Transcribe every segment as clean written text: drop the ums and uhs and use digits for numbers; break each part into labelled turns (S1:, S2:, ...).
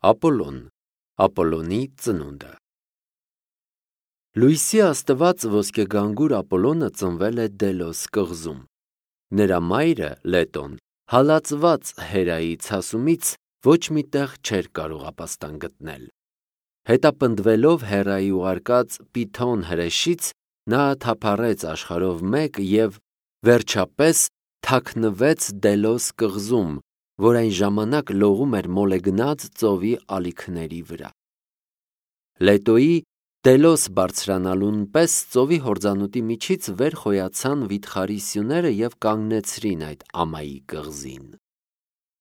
S1: Ապոլոն, Ապոլոնի ծնունդը։ Լույսի աստված ոսկեգանգուր Ապոլոնը ծնվել է Դելոս կղզում։ Նրա մայրը Լետոն հալածված Հերայի ցասումից ոչ մի տեղ չէր կարող ապաստան գտնել։ Հետապնդվելով Հերայի ուղարկած Պիթոն հրեշից, նա թափառեց աշխարհով մեկ և վերջապես թաքնվեց Դելոս կղզում, որ այն ժամանակ լողում էր Մոլեգնած ծովի ալիքների վրա։ Լետոյի Դելոս բարձրանալուն պես ծովի հորձանուտի միջից վեր խոյացան վիթխարի սյուները և կանգնեցրին այդ ամայի կղզին։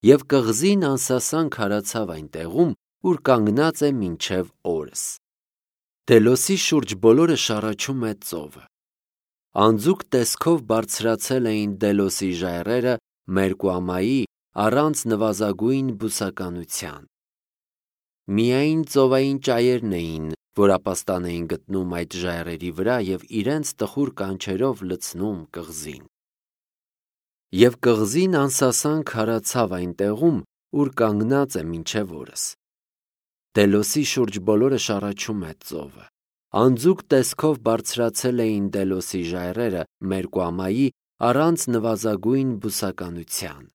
S1: Եվ կղզին անսասան քարացավ այն տեղում, ուր կանգնած է մինչև օրս։ Դելոսի շուրջ բոլորը շառաչում է ծովը։ Անձուկ տեսքով բարձրացել էին Դելոսի ժայռերը Մերկուամայի առանց նվազագույն բուսականության։ Միայն ծովային ճայերն էին, որ ապաստան էին գտնում այդ ժայռերի վրա և իրենց տխուր կանչերով լցնում կղզին։ Եվ կղզին անսասան քարացավ այն տեղում, ուր կանգնած է մինչև օրս։ Դելոսի շուրջ բոլորը շառաչում է ծովը։ Անձուկ տեսքով բարձրացել էին Դելոսի ժայռերը Մերկուամայի առանց նվազագույն բուսականության։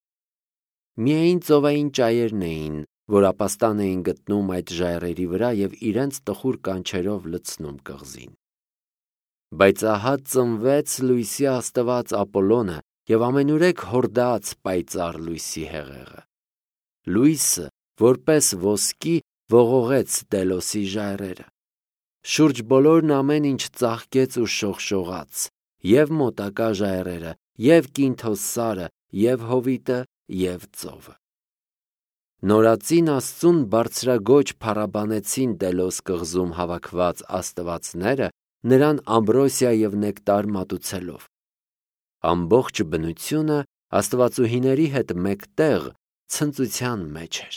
S1: Միայն ծովային ճայերն էին, որ ապաստան էին գտնում այդ ժայռերի վրա և իրենց տխուր կանչերով լցնում կղզին։ Բայց ահա ծնվեց լույսի աստված Ապոլոնը և ամենուրեք հորդաց պայծառ լույսի հեղեղը։ Լույսը, որպես ոսկի, ողողեց Դելոսի ժայռերը։ Շուրջ բոլորն ամեն ինչ ծաղկեց ու շողշողաց, և մոտակա ժայռերը, և Կինթոս սարը, և հովիտը, և ծովը։ Նորածին Աստծուն բարձրագոչ փառաբանեցին Դելոս կղզում հավաքված աստվածները, նրան ամբրոսիա և նեկտար մատուցելով։ Ամբողջ բնությունը աստվածուհիների հետ մեկտեղ ցնծության մեջ էր։